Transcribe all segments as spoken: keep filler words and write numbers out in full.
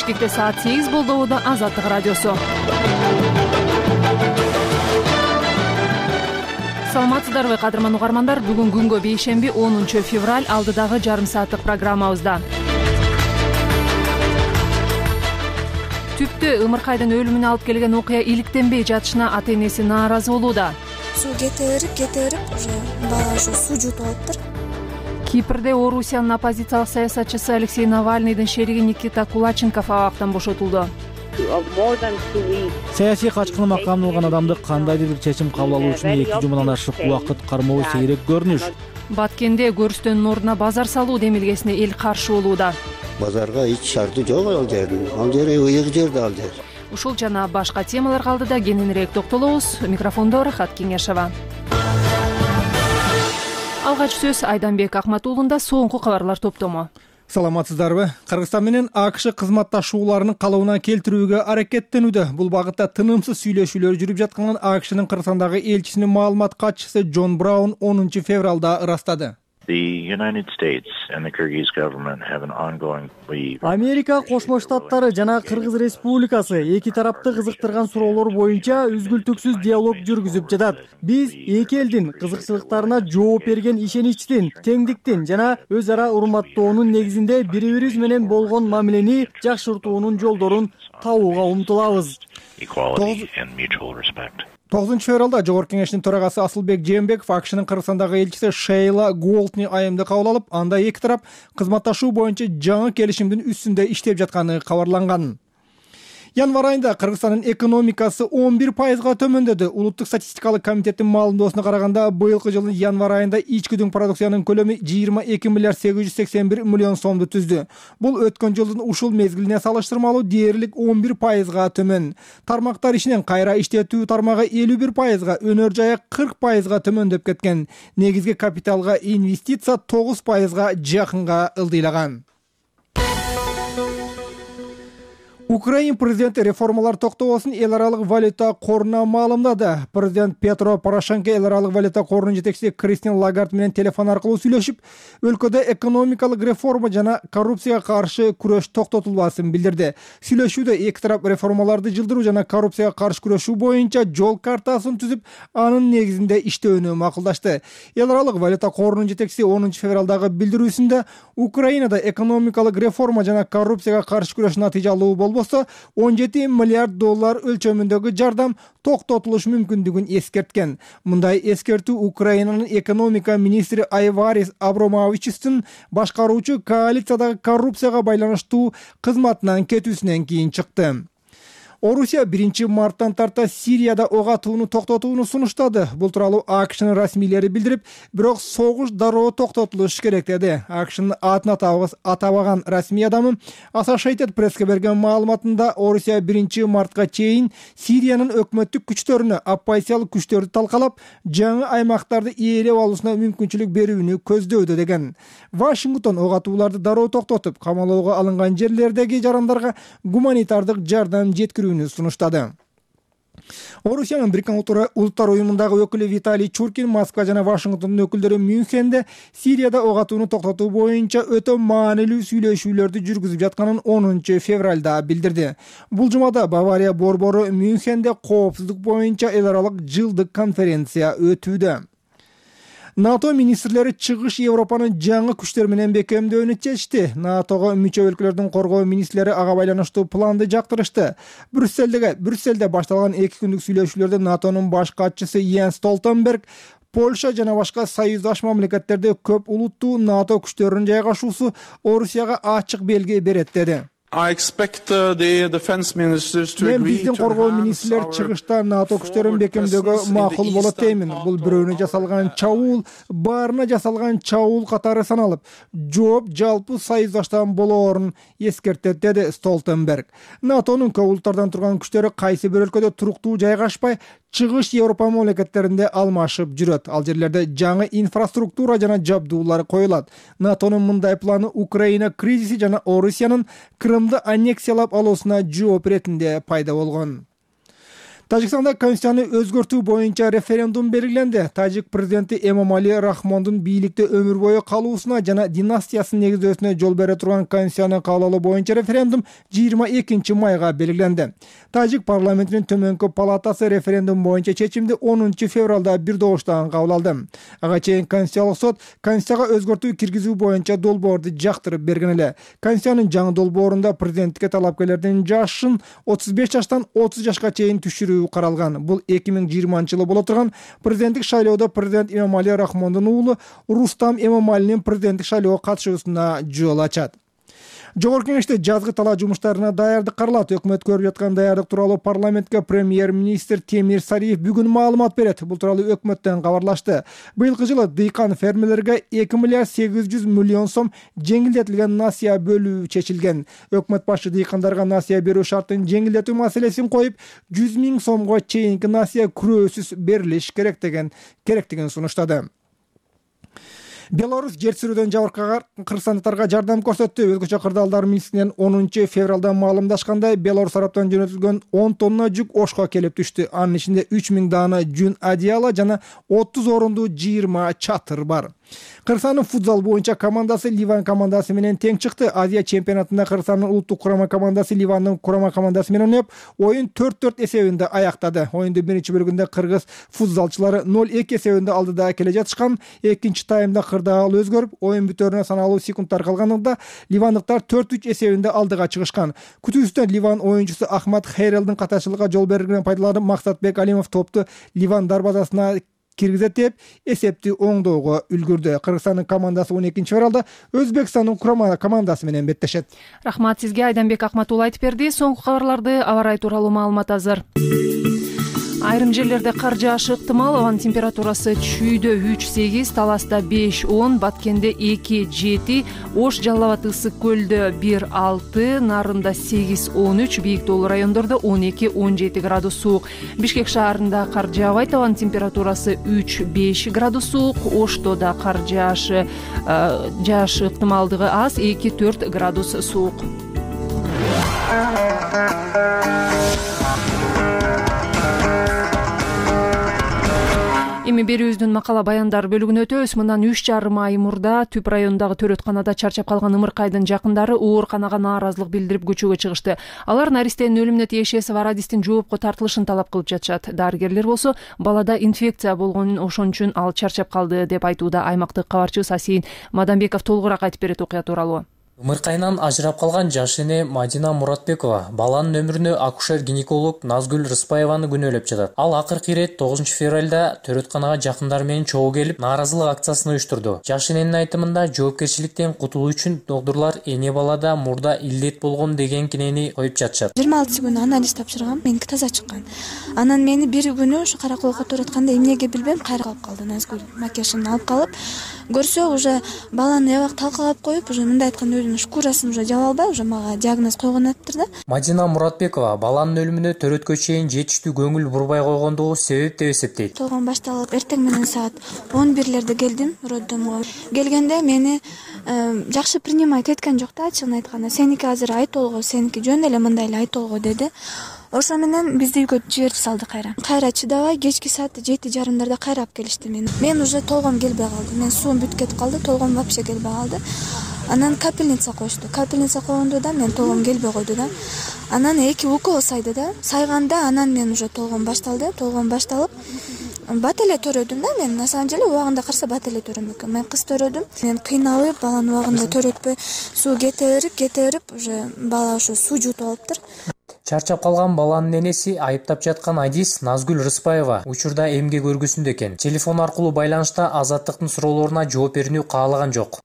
Бишкекте саат сегиз болду. Убада Азаттык радиосу. Саламатсыздарбы, кадырман угармандар? Бүгүн күнгө бейшемби онунчу февраль, алдыдагы жарым сааттык программабызда. Түптө ымыркайдын өлүмүнө алып келген окуя иликтенбей жатышына ата-энеси нааразы болууда. Суу кетирип, кетирип, уже бала ушу суу жутуп алыптыр. Кипрде Орусиянын оппозициялык саясатчысы Алексей Навальныйдын шериги Никита Кулаченков абактан бошотулду. Саясий качкыны макамына алган адамды кандайдыр бир чечим кабыл алуу үчүн эки жумадан ашык убакыт кармоо сейрек көрүнүш. Баткенде көрүстөнүн ордуна базар салуу демилгесине эл каршы болууда. Базарга эч шарты жок ал жердин. Ал жер ыйык жерде ал жер. Ушул жана башка темалар калдыда кененирээк токтолобуз. Микрофондо Рахат Кеңешова. Алгач сөз Айданбек Акматуулунда соңку кабарлар топтому. Саламатсыздарбы? Кыргызстан менен АКШ кызматташууларынын калыбына келтирүүгө аракеттенүүдө. Бул багытта тынымсыз сүйлөшүүлөр жүрүп жатканын АКШнын Кыргызстандагы элчисинин маалымат катчысы Джон Браун онунчу февралда ырастады. Америка Кошмо Штаттары жана Кыргыз Республикасы эки тарапты кызыктырган суроолор боюнча үзгүлтүксүз диалог жүргүзүп жатат. Биз эки элдин кызыкчылыктарына жооп берген ишеничтин, теңдиктин жана өз ара урматтоонун негизинде бири-бирибиз менен болгон мамилени жакшыртуунун жолдорун табууга умтулабыз. тогузунчу февралда Жогорку Кеңештин төрагасы Асылбек Жээнбеков АКШнын Кыргызстандагы элчиси Шейла Голдни айымды кабыл алып, анда эки тарап кызматташуу боюнча жаңы келишимдин үстүндө иштеп жатканы кабарланган. Январь айында Кыргызстандын экономикасы он бир пайызга төмөндөдү. Улуттук статистикалык комитеттин маалымдоосуна караганда, быйылкы жылдын январь айында ичкүдүн продукциянын көлөмү жыйырма эки миллиард сегиз жүз сексен бир миллион сомду түздү. Бул өткөн жылдын ушул мезгилине салыштырмалуу дээрлик он бир пайызга төмөн. Тармактар ишинен кайра иштетүү тармагы элүү бир пайызга, өнөр жайы кырк пайызга төмөндөп кеткен. Негизги капиталга инвестиция тогуз пайызга жакынга ылдыйлаган. Украин президенти реформалар токтобосун эл аралык валюта коруна маалымдады. Президент Петро Порошенко эл аралык валюта корунун жетекчиси Кристин Лагард менен телефон аркылуу сүйлөшүп, өлкөдө экономикалык реформа жана коррупцияга каршы күрөш токтотулбасын билдирди. Сүйлөшүүдө эки тарап реформаларды жылдыруу жана коррупцияга каршы күрөшүү боюнча жол картасын түзүп, анын негизинде иштөөнү макулдашты. Эл аралык валюта корунун жетекчиси онунчу февралдагы билдирүүсүндө Украинада экономикалык реформа жана коррупцияга каршы күрөш натыйжалуу болбосо он жети миллиард доллар өлчөмүндөгү жардам токтотулуш мүмкүндүгүн эскерткен. Мындай эскертүү Украинанын экономика министри Айварис Абромовичтин башкаруучу коалициядагы коррупцияга байланыштуу кызматынан кетүүсүнөн кийин чыкты. Орусия биринчи марттан тарта Сирияда ок атууну токтотууну сунуштады. Бул тууралуу АКШнын расмийлери билдирип, бирок согуш дароо токтотулуш керек деди. АКШнын атын атабаган расмий адамы Associated Press'ке берген маалыматында Орусия биринчи мартка чейин Сириянын өкмөттүк күчтөрүнө оппозициялык күчтөрдү талкалап, жаңы аймактарды ээлеп алуусуна мүмкүнчүлүк берүүнү көздөйдү деген. Вашингтон ок атууларды дароо токтотуп, камалоого алынган жерлердеги жарандарга гуманитардык жардам жеткирүү сунуштады. Орусиянын Бириккен Улуттар уюмундагы өкүлү Виталий Чуркин Москва жана Вашингтондун өкүлдөрү Мюнхенде Сирияда ок атууну токтотуу боюнча өтө маанилүү сүйлөшүүлөрдү жүргүзүп жатканын онунчу февралда билдирди. Бул жумада Бавария борбору Мюнхенде коопсуздук боюнча эл аралык жылдык конференция өтүүдө. НАТО министрлери чыгыш Европанын жаңы күчтөр менен бекемдөөнү чечти. НАТОго мүчө өлкөлөрдүн коргоо министрлери ага байланыштуу планды жактырышты. Брюссельдеги Брюссельде башталган эки күндүк сүйлөшүүлөрдө НАТОнун баш катчысы Йенс Столтенберг Польша жана башка союздаш мамлекеттерде көп улуттуу НАТО күчтөрүнүн жайгашуусу Орусияга ачык белги берет деди. Мен биздин коргоо министрлер чыгышта НАТО күчтөрүн бекемдөөгө макул болот деймин. Бул бирөөнө жасалган чабуул, баарына жасалган чабуул катары саналып, жооп жалпы союздаштан болоорун эскертет деди Столтенберг. НАТОнун көп улуттардан турган күчтөрү кайсы бир өлкөдө туруктуу жайгашпай, чыгыш Европа мамлекеттеринде алмашып жүрөт. Ал жерлерде жаңы инфраструктура жана жабдуулар коюлат. НАТОнун мындай планы Украина кризиси жана Орусиянын Крымды аннексиялап алуусуна жооп иретинде пайда болгон. Тажикстанда конституцияны өзгөртүү боюнча референдум белгиленди. Тажик президенти Эмомали Рахмондун бийликте өмүр бою калуусуна жана династиясын негиздөөсүнө жол бере турган конституцияны кабыл алуу боюнча референдум жыйырма экинчи майга белгиленди. Тажик парламентинин төмөнкү палатасы референдум боюнча чечимди онунчу февралда бир добуштан кабыл алды. Ага чейин Конституциялык сот конституцияга өзгөртүү киргизүү боюнча долбоорду жактырып берген эле. Конституциянын жаңы долбоорунда президенттикке талапкерлердин жашын отуз беш жаштан отуз жашка чейин түшүрүү каралган. Бул эки миң жыйырманчы жылы боло турган президенттик шайлоодо президент Эмомали Рахмондун уулу Рустам Эмомалинин президенттик шайлоого катышуусуна жол ачат. Жогорку кеңеште жазгы талаа жумуштарына даярдык каралат. Өкмөт көрүп жаткан даярдык тууралуу парламентке премьер-министр Темир Сариев бүгүн маалымат берет. Бул тууралуу өкмөттөн кабарлашты. Быйылкы жылы дыйкан фермерлерге эки миллиард сегиз жүз миллион сом жеңилдетилген насыя бөлүү чечилген. Өкмөт башы дыйкандарга насыя берүү шартын жеңилдетүү маселесин коюп, жүз миң сомго чейинки насыя күрөөсүз берилиш керек деген керектигин сунуштады. Беларусь жер сүрүүдөн жабыркаган кыргызстандыктарга жардам көрсөттү. Өзгөчө кырдаалдар министринен онунчу февралда маалымдашкандай, Беларусь тараптан жөнөтүлгөн он тонна жүк Ошко келип түштү. Анын ичинде үч миң даана жүн одеяло жана отуз орунду жыйырма чатыр бар. Кыргызстандын футзал боюнча командасы Ливан командасы менен тең чыкты. Азия чемпионатында Кыргызстандын улуттук курама командасы Ливандын курама командасы менен ойноп, оюн төрт төрт эсебинде аяктады. Оюндун биринчи бөлүгүндө кыргыз футзалчылары ноль эки эсебинде алдыда келе жатышкан. Экинчи таймда кырдаал өзгөрүп, оюн бүтөрүнө саналуу секундтар калганында ливандыктар төрт үч эсебинде алдыга чыгышкан. Күтүүсүнөн Ливан оюнчусу Ахмат Хейрелдин катачылыкка жол бергенин пайдаланып, Максатбек Алимов топту Ливан дарбазасына киргизет деп эсепти оңдоого үлгүрдү. Кыргызстандын командасы он экинчи февралда Өзбекстандын курама командасы менен беттешет. Рахмат сизге, Айданбек Акматулла айтып берди. Соңку кабарларды аба ырайы тууралуу маалымат азыр. Айрым жерлерде кар жаашы ыктымал. Абанын температурасы Чүйдө үч сегиз, Таласта беш он, Баткенде эки жети, Ош Жалал Абад Ысык көлдө бир алты, Нарында сегиз он үч, Бийик Тоолуу райондордо он эки он жети градус суук. Бишкек шаарында кар жаабайт. Абанын температурасы үч беш градус суук. Ошто да кар жаашы жаашы ыктымалдыгы аз, эки төрт градус суук. Эми берүүбүздүн макала баяндар бөлүгүнө өтөбүз. Мындан үч жарым ай мурда Түп районундагы төрөтканада чарчап калган Ымыркайдын жакындары ооруканага нааразылык билдирип көчөгө чыгышты. Алар наристенин өлүмүнө тиешеси бар адистин жоопко тартылышын талап кылып жатышат. Дарыгерлер болсо балада инфекция болгонун, ошон үчүн ал чарчап калды деп айтууда. Аймактык кабарчыбыз Асийин Мадамбеков толугураак айтып берет окуя тууралуу. Ымыркайынан ажырап калган жаш эне Мадина Муратбекова баланын өмүрүнө акушер-гинеколог Назгүл Рыспаеваны күнөөлөп жатат. Ал акыркы ирет тогузунчу февралда төрөтканага жакындары менен чогуу келип, нааразылык акциясын уюштурду. Жаш эненин айтымында жоопкерчиликтен кутулуу үчүн доктурлар эне балада мурда илдет болгон деген кинени коюп жатышат. жыйырма алтысы күнү анализ тапшыргам, меники таза чыккан. Анан мени бир күнү ушу караколго төрөткөндө эмнеге билбейм, кайра калып калды. Назгүл макияжын алып калып, көрсө уже баланы эбак талкалап коюп, уже мындай айтканда шкурасын уже жаба албай, уже мага диагноз койгон атыптыр да. Мадина Муратбекова баланын өлүмүнө төрөткө чейин жетиштүү көңүл бурбай койгондугу себеп деп эсептейт. Толгон башталып, эртең менен саат он бирлерде келдим роддомго. Келгенде мени жакшы принимать эткен жок да, ачыгын айтканда. Сеники азыр ай толго, сеники жөн эле мындай эле ай толго деди. Ошо менен бизди үйгө жиберип салды кайра. Кайра чыдабай кечки саат жети жарымдарда кайра алып келишти мени. Мен уже толгом келбей калды. Мен суум бүтүп кетип калды, толгом вообще келбей калды. Анан капельница коюшту. Капельница койгондо да мен толгом келбей койду да. Анан эки укол сайды да. Сайганда анан мен уже толгом башталды. Толгом башталып, бат эле төрөдүм да мен. На самом деле убагында караса бат эле төрөм экен. Мен кыз төрөдүм. Мен кыйналып, баланы убагында төрөтпөй, суу кете берип, кете берип, уже бала ошо суу жутуп алыптыр. Чарчап калган баланын энеси айыптап жаткан адис Назгүл Рыспаева учурда эмге көргүсүндө экен. Телефон аркылуу байланышта Азаттыктын суроолоруна жооп берүүнү каалаган жок.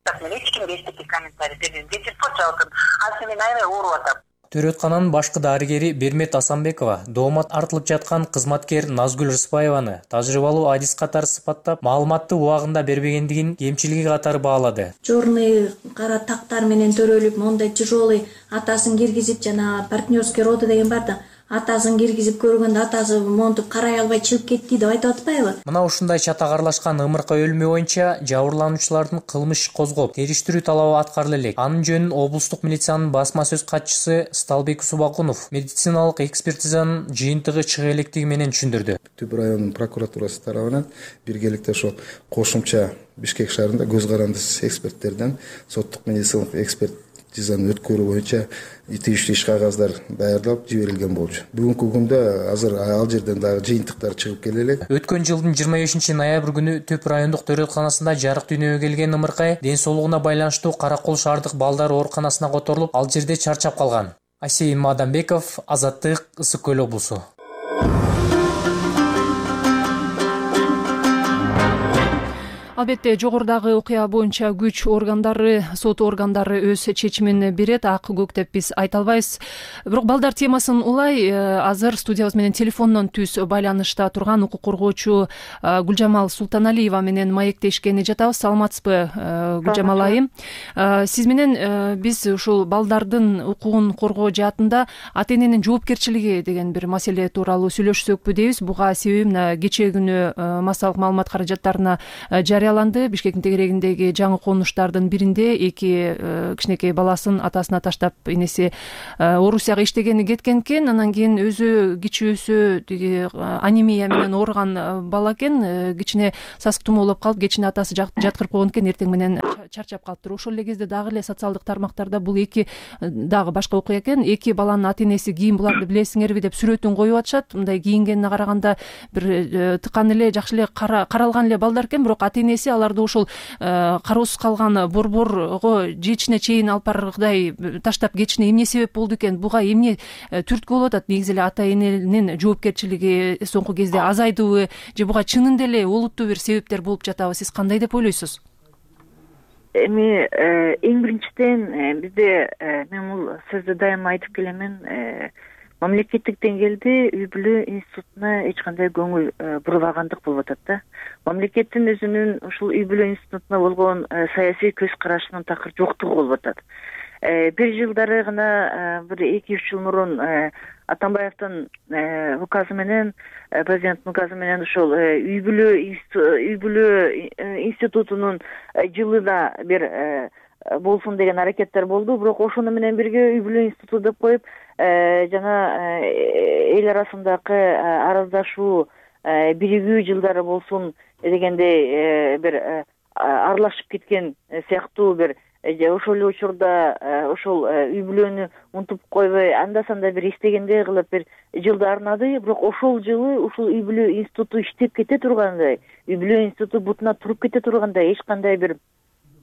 Төрөткананын башкы дарыгери Бермет Асанбекова доомат артылып жаткан кызматкер Назгүл Рыспаеваны тажрыйбалуу адис катары сыпаттап, маалыматты убагында бербегендигин кемчилиги катары баалады. Черный кара тактар менен төрөлүп, мондай тяжелый атасын киргизип, жана партнерский роды деген бар да, атасын киргизип көргөндө атасы монтип карай албай чыгып кетти деп айтып атпайбы? Мына ушундай чатак аралашкан ымыркы өлмө боюнча жабырлануучулардын кылмыш иш козгоп териштирүү талабы аткарыла элек. Анын жөнүн облустук милициянын басма сөз катчысы Сталбек Субакунов медициналык экспертизанын жыйынтыгы чыга электиги менен түшүндүрдү. Түп районунун прокуратурасы тарабынан биргеликте ошо кошумча Бишкек шаарында көз карандысыз эксперттерден соттук медициналык экспертизаны өткөрүү боюнча тийиштүү иш кагаздар даярдалып жиберилген болчу. Бүгүнкү күндө азыр ал жерден дагы жыйынтыктар чыгып келе элек. Өткөн жылдын жыйырма бешинчи ноябрь күнү Түп райондук төрөтканасында жарык дүйнөгө келген ымыркай ден соолугуна байланыштуу Каракол шаардык балдар ооруканасына которулуп, ал жерде чарчап калган. Асейин Мадамбеков, Азаттык, Ысык Көл облусу. Албетте жогорудагы окуя боюнча күч органдары, сот органдары өз чечимин берет, ак көк деп биз айта албайбыз. Бирок балдар темасын улай азыр студиябыз менен телефондон түз байланышта турган укук коргоочу Гүлжамал Султаналиева менен маектешкени жатабыз. Саламатсызбы, Гүлжамал айым? Сиз менен биз ушул балдардын укугун коргоо жаатында ата эненин жоопкерчилиги деген бир маселе тууралуу сүйлөшсөкпү дейбиз. Буга себеби мына кечээ күнү массалык маалымат каражаттарына жарыяланды. Бишкектин тегерегиндеги жаңы конуштардын биринде эки кичинекей баласын атасына таштап энеси Орусияга иштегени кеткен экен. Анан кийин өзү кичүүсү тиги анемия менен ооруган бала экен. Кичине сасык тумоолоп калып, кечине атасы жаткырып койгон экен, эртең менен чарчап калыптыр. Ошол эле кезде дагы эле социалдык тармактарда бул эки дагы башка окуя экен. Эки баланын ата энеси кийин буларды билесиңерби деп сүрөтүн коюп атышат. Мындай кийингенине караганда бир тыкан эле жакшы эле каралган эле балдар экен, бирок ата энеси аларды ошол кароосуз калган борборго жечине чейин алып баргыдай таштап кетишине эмне себеп болду экен? Буга эмне түрткү болуп атат? Негизи эле ата эненин жоопкерчилиги соңку кезде азайдыбы же буга чынында эле олуттуу бир себептер болуп жатабы? Сиз кандай деп ойлойсуз? Эми эң биринчиден бизде мен бул сөздү дайыма айтып келемин. Мамлекеттик деңгээлде үй бүлө институтуна эч кандай көңүл бурбагандык болуп атат да. Мамлекеттин өзүнүн ушул үй бүлө институтуна болгон саясий көз карашынын такыр жоктугу болуп атат. Бир жылдары гана бир эки үч жыл мурун Атамбаевдин указы менен, президенттин указы менен ушул үй бүлө үй бүлө институтунун жылына бир болсун деген аракеттер болду. Бирок ошону менен бирге үй бүлө институту деп коюп, жана эл арасындагы араздашуу, биригүү жылдары болсун дегендей бир аралашып кеткен сыяктуу бир ошол эле учурда ошол үй бүлөнү унутуп койбой, анда санда бир эстегендей кылып бир жылды арнады. Бирок ошол жылы ушул үй бүлө институту иштеп кете тургандай, үй бүлө институту бутуна туруп кете тургандай эч кандай бир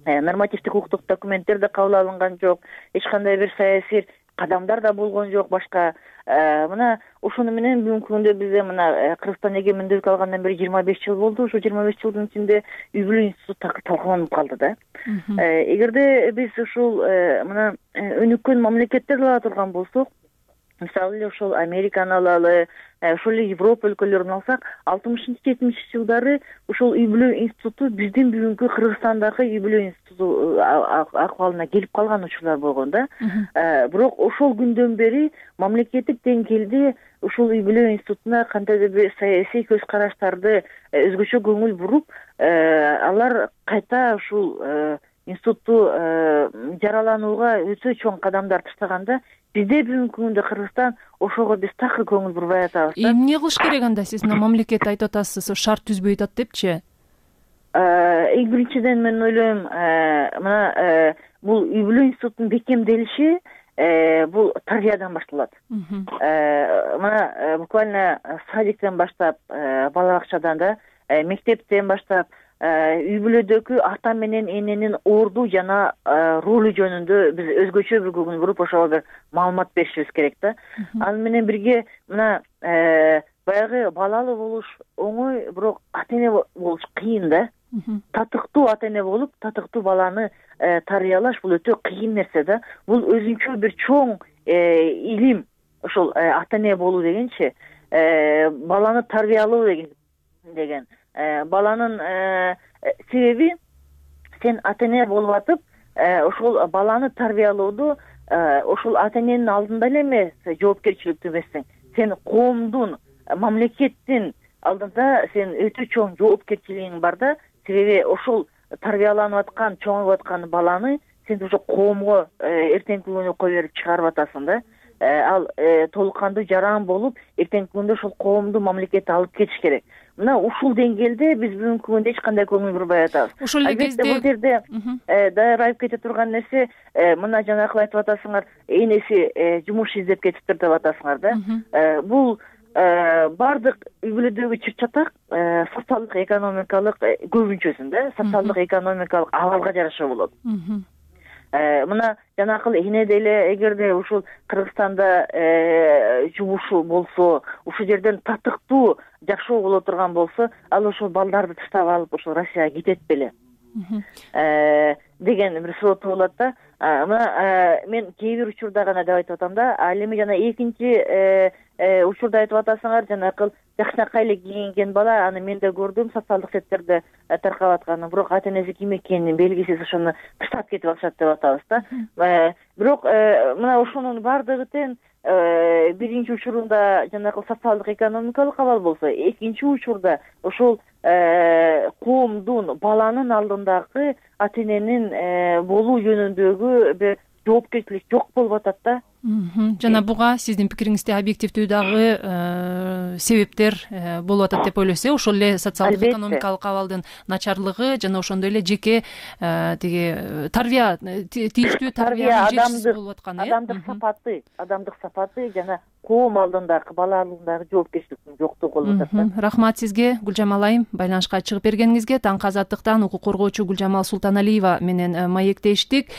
нормативдик укуктук документтер да кабыл алынган жок, эч кандай бир саясий кадамдар да болгон жок. Башка мына ошону менен бүгүнкү күндө бизде мына Кыргызстан эгемендүүлүк алгандан бери жыйырма беш жыл болду. Ошо жыйырма беш жылдын ичинде үй бүлө институту такыр талкаланып калды да. Эгерде биз ушул мына өнүккөн мамлекеттерди ала турган болсок, мисалы эле ошол Американы алалы, ошол эле Европа өлкөлөрүн алсак, алтымышынчы жетимишинчи жылдары ушул үй бүлө институту биздин бүгүнкү Кыргызстандагы үй бүлө институту акыбалына келип калган учурлар болгон да. Бирок ошол күндөн бери мамлекеттик деңгээлде ушул үй бүлө институтуна кандайдыр бир саясий көз караштарды өзгөчө көңүл буруп, алар кайта ушул институтту жараланууга өтө чоң кадамдар таштаганда, бизде бүгүнкү күндө Кыргызстан ошого биз такыр көңүл бурбай атабыз да. Эмне кылыш керек анда? Сиз мына мамлекет айтып атасыз, шарт түзбөй атат депчи? Эң биринчиден мен ойлойм, мына бул үй бүлө институтунун бекемделиши бул тарбиядан башталат. Мына буквально садиктен баштап, бала бакчадан да, мектептен баштап, үй бүлөдөгү ата менен эненин орду жана ролу жөнүндө биз өзгөчө бир көңүл буруп, ошого бир маалымат беришибиз керек да. Аны менен бирге мына баягы балалуу болуш оңой, бирок ата эне болуш кыйын да. Татыктуу ата эне болуп, татыктуу баланы тарбиялаш бул өтө кыйын нерсе да. Бул өзүнчө бир чоң илим, ошол ата эне болуу дегенчи, баланы тарбиялоо деген. Баланын себеби сен ата эне болуп атып, ошол баланы тарбиялоодо ошол ата эненин алдында эле эмес жоопкерчиликтүү эмессиң, сен коомдун, мамлекеттин алдында сен өтө чоң жоопкерчилигиң бар да. Себеби ошол тарбияланып аткан, чоңоюп аткан баланы сен ошо коомго эртеңки күнү кое берип чыгарып атасың да. Ал толук кандуу жаран болуп, эртеңки күндө ошол коомду, мамлекетти алып кетиш керек. Мына ушул деңгээлде биз бүгүнкү күндө эч кандай көңүл бурбай атабыз. Ошол эле кезде бул жерде даяр айып кете турган нерсе, мына жанакы айтып атасыңар, энеси жумуш издеп кетиптир деп атасыңар да. Бул баардык үй бүлөдөгү чыр-чатак социалдык экономикалык көбүнчөсүндө социалдык экономикалык абалга жараша болот. Мына жанакы эне деле эгерде ушул Кыргызстанда жумушу болсо, ушул жерден татыктуу жакшы боло турган болсо, ал ошол балдарды таштап алып ошол Россияга кетет беле деген бир суроо болот да. Мына мен кээ бир учурда гана деп айтып атам да. Ал эми жана экинчи учурда айтып атасыңар, жанакы жакшынакай эле кийинген бала, аны мен да көрдүм социалдык сеттерде таркап атканын, бирок ата энеси ким экенин белгисиз ошону таштап кетип атышат деп атабыз да. Бирок мына ошонун баардыгы тең биринчи учурунда жанагы социалдык экономикалык абал болсо, экинчи учурда ошол коомдун, баланын алдындагы ата эненин болуу жөнүндөгү бир жоопкерчилик жок болуп атат да. Жана буга сиздин пикириңизде объективдүү дагы себептер болуп атат деп ойлойсуз э? Ошол эле социалдык экономикалык абалдын начарлыгы жана ошондой эле жеке тиги тарбия, тийиштүү тарбиянын жетишсиз болуп атканы э? Адамдык сапаты, адамдык сапаты жана коом алдындагы, бала алдындагы жоопкерчиликтин жоктугу болуп атат да. Рахмат сизге, Гүлжамал айым, байланышка чыгып бергениңизге. Таңкы Азаттыктан укук коргоочу Гүлжамал Султаналиева менен маектештик.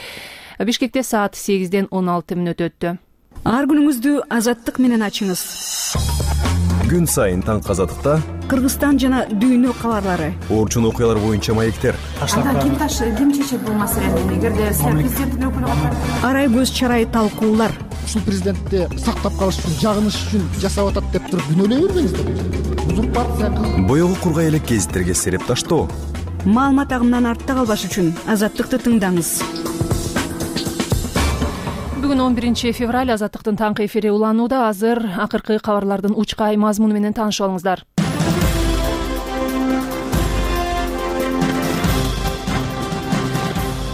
Бишкекте саат сегизден он алты мүнөт өттү. Ар күнүңүздү Азаттык менен ачыңыз. Күн сайын Таңкы Азаттыкта Кыргызстан жана дүйнө кабарлары, орчун окуялар боюнча маектер. Анда ким ташы, ким чечет бул маселени? Эгерде сиз президенттин өкүлү катары арай көз чарай талкуулар. Ушул президентти сактап калыш үчүн, жагыныш үчүн жасап атат деп туруп күнөөлөй бербеңиздер. Узурпация кылып боёгу кургай элек гезиттерге сереп таштоо. Маалымат агымынан артта калбаш үчүн Азаттыкты тыңдаңыз. Бүгүн он биринчи февраль, Азаттыктын таңкы эфири уланууда. Азыр акыркы кабарлардын учкай мазмуну менен таанышып алыңыздар.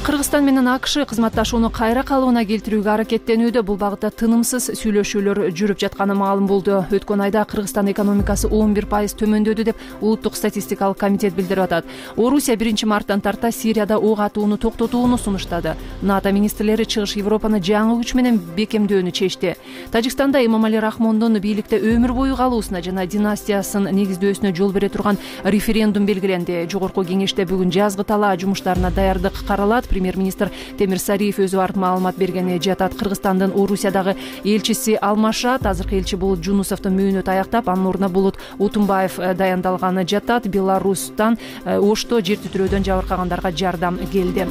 Кыргызстан менен АКШ кызматташууну кайра калыбына келтирүүгө аракеттенүүдө. Бул багытта тынымсыз сүйлөшүүлөр жүрүп жатканы маалым болду. Өткөн айда Кыргызстан экономикасы он бир пайыз төмөндөдү деп Улуттук статистикалык комитет билдирип атат. Орусия биринчи марттан тарта Сирияда ок атууну токтотууну сунуштады. НАТО министрлери Чыгыш Европаны жаңы күч менен бекемдөөнү чечти. Тажикстанда Эмомали Рахмондун бийликте өмүр бою калуусуна жана династиясын негиздөөсүнө жол бере турган референдум белгиленди. Жогорку кеңеште бүгүн жазгы талаа жумуштарына даярдык каралат. Премьер-министр Темир Сариев өзү барып маалымат бергени жатат. Кыргызстандын Орусиядагы элчиси алмашат. Азыркы элчи Булут Жунусовдун мөөнөтү аяктап, анын ордуна Булут Утунбаев даяндалганы жатат. Беларустан Ошто жер титирөөдөн жабыркагандарга жардам келди.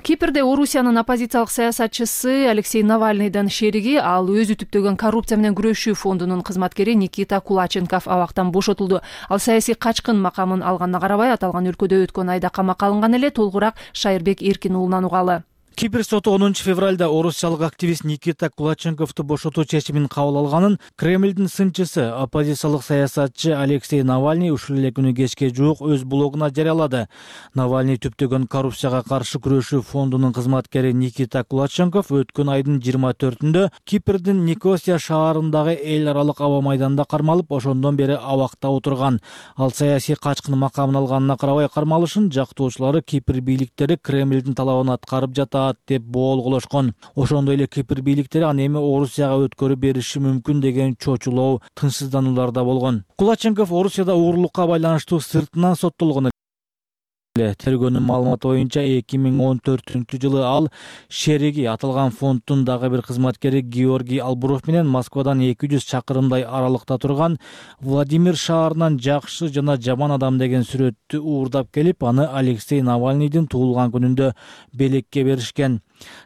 Кипрде Орусиянын оппозициялык саясатчысы Алексей Навальныйдын шериги, ал өзү түптөгөн коррупция менен күрөшүү фондунун кызматкери Никита Кулаченков абактан бошотулду. Ал саясий качкын макамын алганына карабай, аталган өлкөдө өткөн айда камакка алынган эле. Толугураак Шайырбек Эркин уулунан угалы. Кипр соту онунчу февралда орусиялык активист Никита Кулаченковду бошотуу чечимин кабыл алганын Кремлдин сынчысы, оппозициялык саясатчы Алексей Навальный ушул эле күнү кечке жуук өз блогуна жарыялады. Навальный түптөгөн коррупцияга каршы күрөшүү фондунун кызматкери Никита Кулаченков өткөн айдын жыйырма төртүндө Кипрдин Никосия шаарындагы эл аралык аба майданда кармалып, ошондон бери абакта отурган. Ал саясий качкын макамын алганына карабай кармалышын жактоочулары Кипр бийликтери Кремлдин талабын аткарып жатат деп боолголошкон. Ошондой эле Кипр бийликтери аны эми Орусияга өткөрүп бериши мүмкүн деген чочулоо, тынчсыздануулар да болгон. Кулаченков Орусияда уурулукка байланыштуу сыртынан соттолгон. Тергөөнүн маалыматы боюнча эки миң он төртүнчү жылы ал шериги, аталган фонддун дагы бир кызматкери Георгий Албуров менен Москвадан эки жүз чакырымдай аралыкта турган Владимир шаарынан жакшы жана жаман адам деген сүрөттү уурдап келип, аны Алексей Навальныйдын туулган күнүндө белекке беришкен.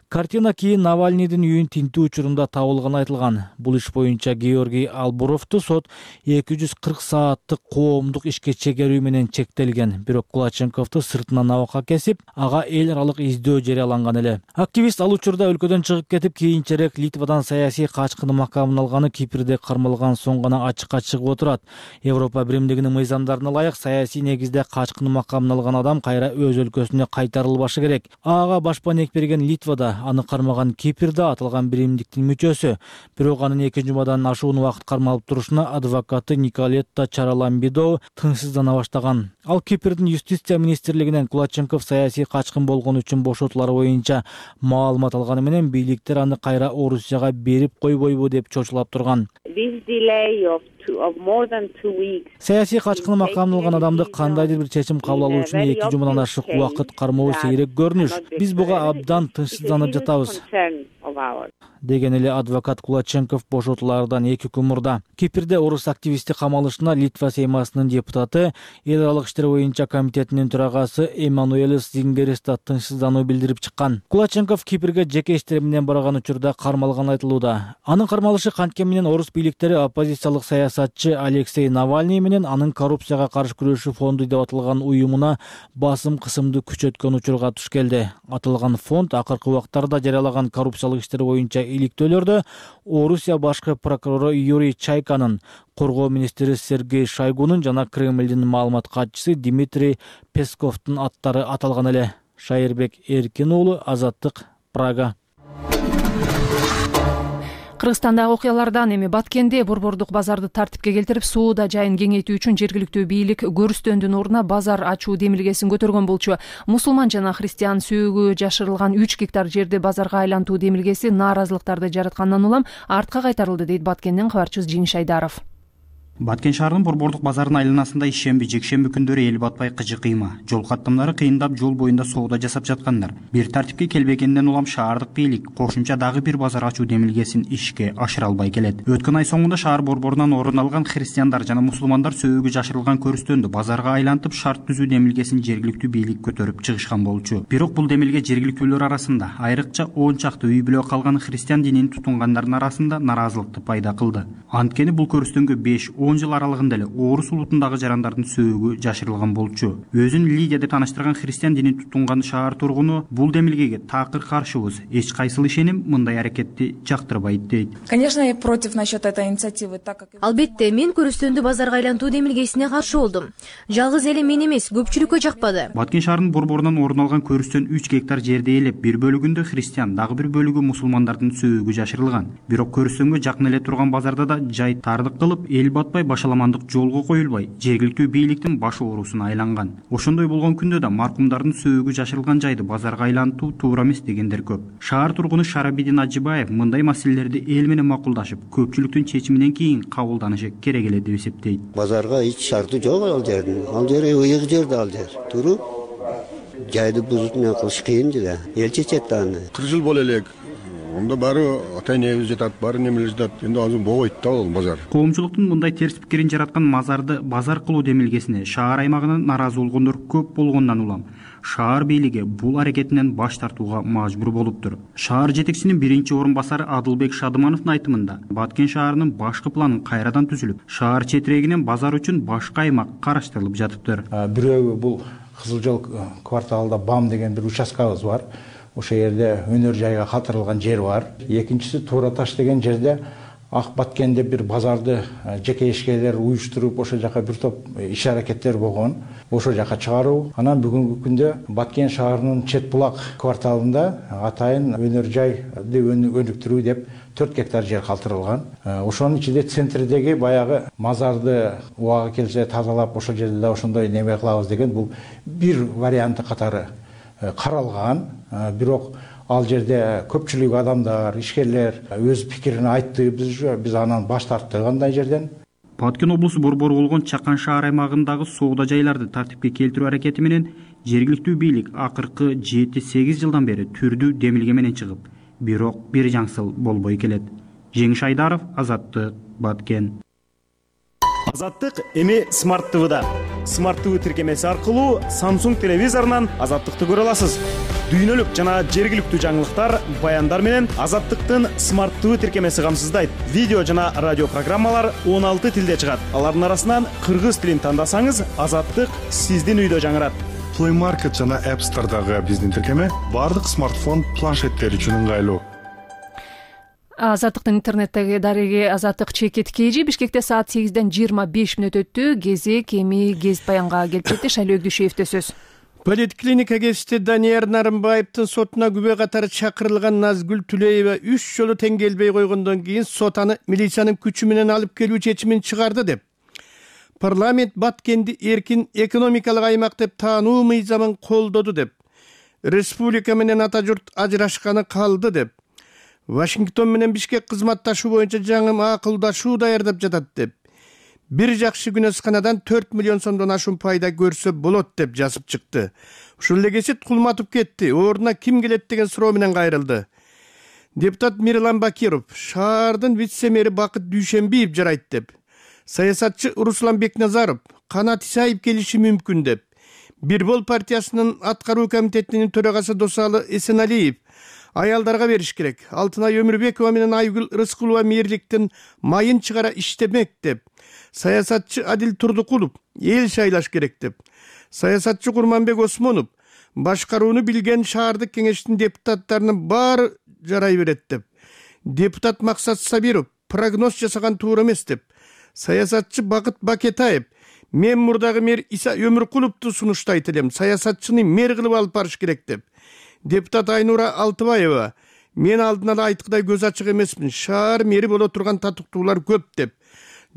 Картина кийин Навальныйдын үйүн тинтүү учурунда табылганы айтылган. Бул иш боюнча Георгий Албуровду сот эки жүз кырк сааттык коомдук ишке чегерүү менен чектелген. Бирок Кулаченковду сыртынан абакка кесип, ага эл аралык издөө жарыяланган эле. Активист ал учурда өлкөдөн чыгып кетип, кийинчерээк Литвадан саясий качкын макамын алганы Кипрде кармалган соң гана ачыкка чыгып отурат. Европа биримдигинин мыйзамдарына ылайык саясий негизде качкын макамын алган адам кайра өз өлкөсүнө кайтарылбашы керек. Ага башпанек берген Литвада, аны кармаган Кипрде аталган биримдиктин мүчөсү. Бирок анын эки жумадан ашуун убакыт кармалып турушуна адвокаты Николетта Чараламбидо тынчсыздана баштаган. Ал Кипрдин юстиция министрлигинен Кулаченков саясий качкын болгон үчүн бошотулары боюнча маалымат алганы менен бийликтер аны кайра Орусияга берип койбойбу деп чочулап турган. Саясий качкын макамын алган адамды кандайдыр бир чечим кабыл алуу үчүн эки жумадан ашык убакыт кармоо сейрек көрүнүш. Биз буга абдан тынчсызданып жатабыз, деген эле адвокат Кулаченков бошотулардан эки күн мурда. Кипрде орус активисти камалышына Литва Сеймасынын депутаты, эл аралык иштер боюнча комитетинин төрагасы Эммануэлис Зингерис да тынчсыздануу билдирип чыккан. Кулаченков Кипрге жеке иштери менен барган учурда кармалганы айтылууда. Анын кармалышы канткени менен орус бийликтери оппозициялык саясатчы Алексей Навальный менен анын коррупцияга каршы күрөшүү фонду деп аталган уюмуна басым кысымды күчөткөн учурга туш келди. Аталган фонд акыркы убактарда жарыялаган коррупциялык иштер боюнча иликтөөлөрдө Орусия башкы прокурору Юрий Чайканын, коргоо министри Сергей Шойгунун жана Кремлдин маалымат катчысы Дмитрий Песковдун аттары аталган эле. Шайырбек Эркин уулу, Азаттык, Прага. Кыргызстандагы окуялардан эми Баткенде борбордук базарды тартипке келтирип, сууда жайын кеңейтүү үчүн жергиликтүү бийлик көрүстөндүн ордуна базар ачуу демилгесин көтөргөн болчу. Мусулман жана христиан сөөгү жашырылган үч гектар жерди базарга айлантуу демилгеси нааразылыктарды жараткандан улам артка кайтарылды, дейт Баткенден кабарчыбыз Жеңиш Айдаров. Баткен шаарынын борбордук базарынын айланасында ишемби, жекшемби күндөрү эл батпай кыжы кыйма, жол каттамдары кыйындап жол боюнда соода жасап жаткандар. Бир тартипке келбегенден улам шаардык бийлик кошумча дагы бир базар ачуу демилгесин ишке ашыра албай келет. Өткөн ай соңунда шаар борборунан орун алган христиандар жана мусулмандар сөөгү жашырылган көрүстөндү базарга айлантып шарт түзүү демилгесин жергиликтүү бийлик көтөрүп чыгышкан болчу. Бирок бул демилге жергиликтүүлөр арасында, айрыкча он чакты үй бүлө калган христиан динин тутунгандардын арасында наразылыкты пайда кылды. Анткени бул көрүстөнгө беш он жыл аралыгында эле орус улутундагы жарандардын сөөгү жашырылган болчу. Өзүн Лидия деп тааныштырган христиан динин тутунган шаар тургуну бул демилгеге такыр каршыбыз. Эч кайсыл ишеним мындай аракетти жактырбайт дейт. Конечно, я против насчет этой инициативы, так как Албетте, мен көрүстөндү базарга айлантуу демилгесине каршы болдум. Жалгыз эле мен эмес, көпчүлүккө жакпады. Баткен шаарынын борборунан орун алган көрүстөн үч гектар жерди ээлеп, бир бөлүгүндө христиан, дагы бир бөлүгү мусулмандардын сөөгү жашырылган. Бирок көрүстөнгө жакын эле турган базарда да жай тардык кылып, эл батпай башаламандык жолго коюлбай, жергиликтүү бийликтин баш оорусуна айланган. Ошондой болгон күндө да маркумдардын сөөгү жашырылган жайды базарга айлантуу туура эмес дегендер көп. Шаар тургуну Шарабидин Ажибаев мындай маселелерди эл менен макулдашып, көпчүлүктүн чечиминен кийин кабылданышы керек эле деп эсептейт. Базарга эч шарты жок ал жердин. Ал жер ыйык жер да ал жер. Туруп жайды бузуп эмне кылыш кыйын да. Эл чечет да аны. кырк жыл боло элек. Онда баары ата-энебиз жатат, баары немелер жатат. Энди азыр болбойт да ал базар. Коомчулуктун мындай терс пикирин жараткан мазарды базар кылуу демилгесине шаар аймагынан наразы болгондор көп болгондон улам шаар бийлиги бул аракетинен баш тартууга мажбур болуптур. Шаар жетекчисинин биринчи орун басары Адылбек Шадымановдун айтымында, Баткен шаарынын башкы планын кайрадан түзүлүп, шаар четирегинен базар үчүн башка аймак караштырылып жатыптыр. Бирөө бул Кызыл жол кварталында БАМ деген бир участкабыз бар. Ошол жерде өнөр жайга калтырылган жер бар. Экинчиси Туура таш деген жерде Ак Баткенде бир базарды жеке ишкерлер уюштуруп, ошол жака бир топ иш аракеттер болгон. Ошол жака чыгаруу. Анан бүгүнкү күндө Баткен шаарынын Чет булак кварталында атайын өнөр жайды өнүктүрүү деп төрт гектар жер калтырылган. Ошонун ичинде центрдеги баягы мазарды убагы келсе тазалап, ошол жерде да ошондой неме кылабыз деген бул бир варианты катары каралган. Бирок ал жерде көпчүлүк адамдар, ишкерлер өз пикирин айтты, биз биз анан баш тарттык андай жерден. Баткен облусу борбору болгон Чакан шаар аймагындагы соода жайларды тартипке келтирүү аракети менен жергиликтүү бийлик акыркы жети сегиз жылдан бери түрдүү демилге менен чыгып, бирок бир жаңсыл болбой келет. Жеңиш Айдаров, Азаттык, Баткен. Азаттык эми Смарт ТВда. Смарт ТВ тиркемеси аркылуу Samsung телевизорунан Азаттыкты көрө аласыз. дүйнөлүк жана жергиликтүү жаңылыктар, баяндар менен Азаттыктын смарттуу тиркемеси камсыздайт. Видео жана радио программалар он алты тилде чыгат. Алардын арасынан кыргыз тилин тандасаңыз, Азаттык сиздин үйдө жаңырат. Play Market жана App Store'дагы биздин тиркеме бардык смартфон, планшеттер үчүн ыңгайлуу. Азаттыктын интернеттеги дареги Азаттык чекит кежи Бишкекте саат сегизден жыйырма беш мүнөт өттү. Кезек эми гезит баянга келип жетти. Шайлоо Өгдүшевде сөз. Политклиника кесипти Данияр Нарымбаевдин сотуна күбө катары чакырылган Назгүл Түлеева үч жолу тең келбей койгондон кийин сот аны милициянын күчү менен алып келүү чечимин чыгарды деп. Парламент Баткенди эркин экономикалык аймак деп таануу мыйзамын колдоду деп. Республика менен ата журт ажырашканы калды деп. Вашингтон менен Бишкек кызматташуу боюнча жаңы макулдашуу даярдап жатат деп. Бир жакшы күнөсканадан төрт миллион сомдон ашуун пайда көрсө болот деп жазып чыкты. Ушул эле кесип кулматып кетти. Ордуна ким келет деген суроо менен кайрылды. Депутат Мирлан Бакиров шаардын вице-мэри Бакыт Дүйшенбиев жарайт деп. Саясатчы Руслан Бекназаров Канат Исаев келиши мүмкүн деп. Бирбол партиясынын аткаруу комитетинин төрагасы Досалы Эсеналиев аялдарга бериш керек. Алтынай Өмүрбекова менен Айгүл Рыскулова мээрликтин майын чыгара иштемек деп. Саясатчы Адил Турдукулов эл шайлаш керек деп. Саясатчы Курманбек Осмонов башкарууну билген шаардык кеңештин депутаттарынын баары жарай берет деп. Депутат Максат Сабиров прогноз жасаган туура эмес деп. Саясатчы Бакыт Бакетаев мен мурдагы мэр Иса Өмүркуловду сунуштайт элем. Саясатчыны мэр кылып алып барыш керек деп. Депутат Айнура Алтыбаева мен алдын ала айткыдай көз ачык эмесмин. Шаар мэри боло турган татыктуулар көп деп.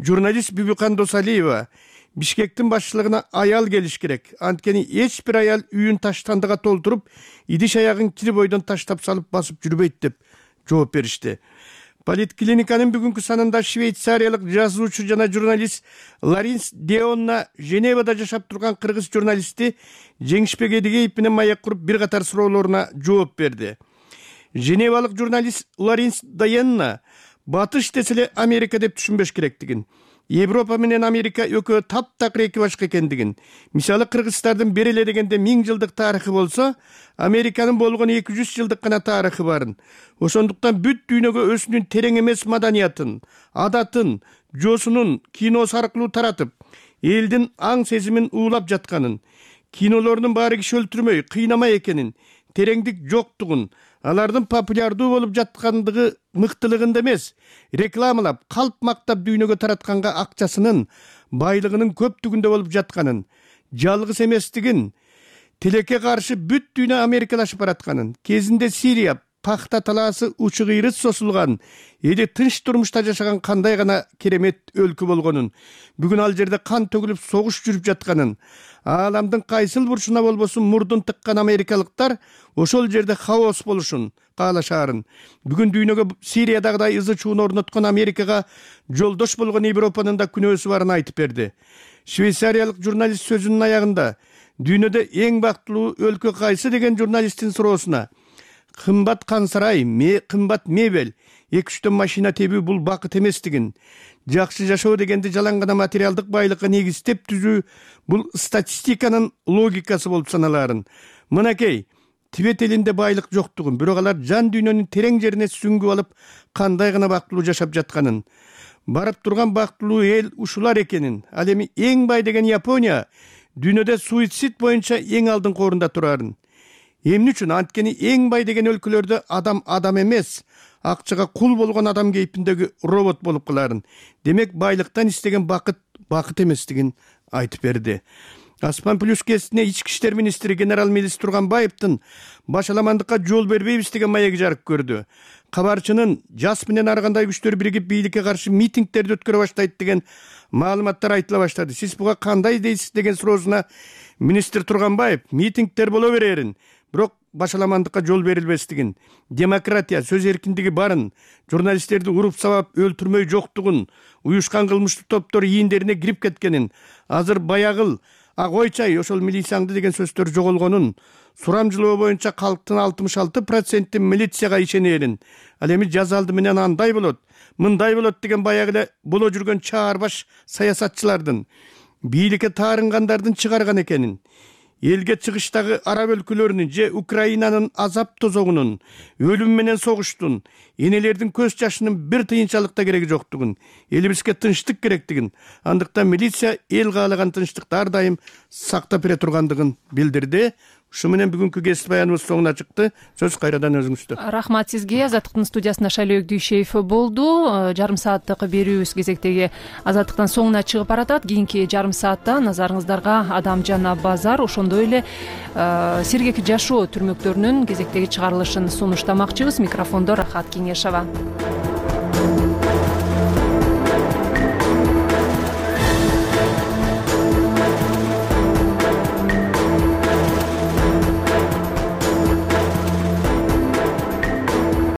Журналист Бүбүкан Досалиева Бишкектин башчылыгына аял келиш керек. Анткени эч бир аял үйүн таштандыга толтуруп, идиш аягын кири бойдон таштап салып басып жүрбөйт деп жооп беришти. Политклиниканын бүгүнкү санында швейцариялык жазуучу жана журналист Ларинс Деонна Женевада жашап турган кыргыз журналисти Жеңишбек Эдигеев менен маек куруп бир катар суроолоруна жооп берди. Женевалык журналист Ларинс Деонна Батыш десе эле Америка деп түшүнбөш керектигин, Европа менен Америка экөө таптакыр эки башка экендигин, мисалы кыргызстардын бери эле дегенде миң жылдык тарыхы болсо, Американын болгон эки жүз жылдык гана тарыхы барын. Ошондуктан бүт дүйнөгө өзүнүн терең эмес маданиятын, адатын, жоосунун киносу аркылуу таратып, элдин аң сезимин уулап жатканын, кинолордун баары киши өлтүрмөй, кыйнамай экенин, тереңдик жоктугун, алардын популярдуу болуп жаткандыгы мыктылыгында эмес, рекламалап, калп мактап дүйнөгө таратканга акчасынын, байлыгынын көптүгүндө болуп жатканын, жалгыз эместигин, тилекке каршы бүт дүйнө америкалашып баратканын, кезинде Сирия, пахта талаасы учу кыйрыт сосулган, эли тынч турмушта жашаган кандай гана керемет өлкө болгонун, бүгүн ал жерде кан төгүлүп согуш жүрүп жатканын, ааламдын кайсыл бурчуна болбосун мурдун тыккан америкалыктар ошол жерде хаос болушун каалашаарын, бүгүн дүйнөгө Сириядагыдай ызы чууну орноткон Америкага жолдош болгон Европанын да күнөөсү барын айтып берди. Швейцариялык журналист сөзүнүн аягында дүйнөдө эң бактылуу өлкө кайсы деген журналисттин суроосуна кымбат кансарай, ме кымбат мебель, эки үчтөн машина тебүү бул бакыт эместигин, жакшы жашоо дегенди жалаң гана материалдык байлыкка негиздеп түзүү бул статистиканын логикасы болуп саналаарын. Мынакей, Тибет элинде байлык жоктугун, бирок алар жан дүйнөнүн терең жерине сүңгүп алып, кандай гана бактылуу жашап жатканын, барып турган бактылуу эл ушулар экенин, ал эми эң бай деген Япония дүйнөдө суицид боюнча эң алдыңкы орунда турарын. Эмне үчүн? Анткени эң бай деген өлкөлөрдө адам адам эмес, акчага кул болгон адам кейпиндеги робот болуп каларын. Демек байлыктан истеген бакыт бакыт эместигин айтып берди. Аспан плюс кесине ички иштер министри генерал Мелис Турганбаевдин башаламандыкка жол бербейбиз деген маеги жарык көрдү. Кабарчынын жас менен ар кандай күчтөр биригип бийликке каршы митингдерди өткөрө баштайт деген маалыматтар айтыла баштады. Сиз буга кандай дейсиз деген суроосуна министр Турганбаев митингдер боло берерин, бирок башаламандыкка жол берилбестигин, демократия, сөз эркиндиги барын, журналисттерди уруп сабап өлтүрмөй жоктугун, уюшкан кылмыштуу топтор ийиндерине кирип кеткенин, азыр баягыл, ак ойчай, ошол милицияңды деген сөздөр жоголгонун, сурамжылоо боюнча калктын алтымыш алты проценти милицияга ишенерин, ал эми жаз алды менен андай болот, мындай болот деген баягы эле боло жүргөн чаарбаш саясатчылардын, бийликке таарынгандардын чыгарган экенин, элге чыгыштагы араб өлкөлөрүнүн же Украинанын азап тозогунун, өлүм менен согуштун, энелердин көз жашынын бир тыйынчалык да кереги жоктугун, элибизге тынчтык керектигин, андыктан милиция эл каалаган тынчтыкты ар дайым сактап бере тургандыгын билдирди. Ушу менен бүгүнкү кесип баяныбыз соңуна чыкты. Сөз кайрадан өзүңүздө. Рахмат сизге. Азаттыктын студиясында Шайлообек Дүйшеев болду. Жарым сааттык берүүбүз кезектеги Азаттыктан соңуна чыгып баратат. Кийинки жарым саатта назарыңыздарга Адам жана базар, ошондой эле сергек жашоо түрмөктөрүнүн кезектеги чыгарылышын сунуштамакчыбыз. Микрофондо Рахат Кеңешова.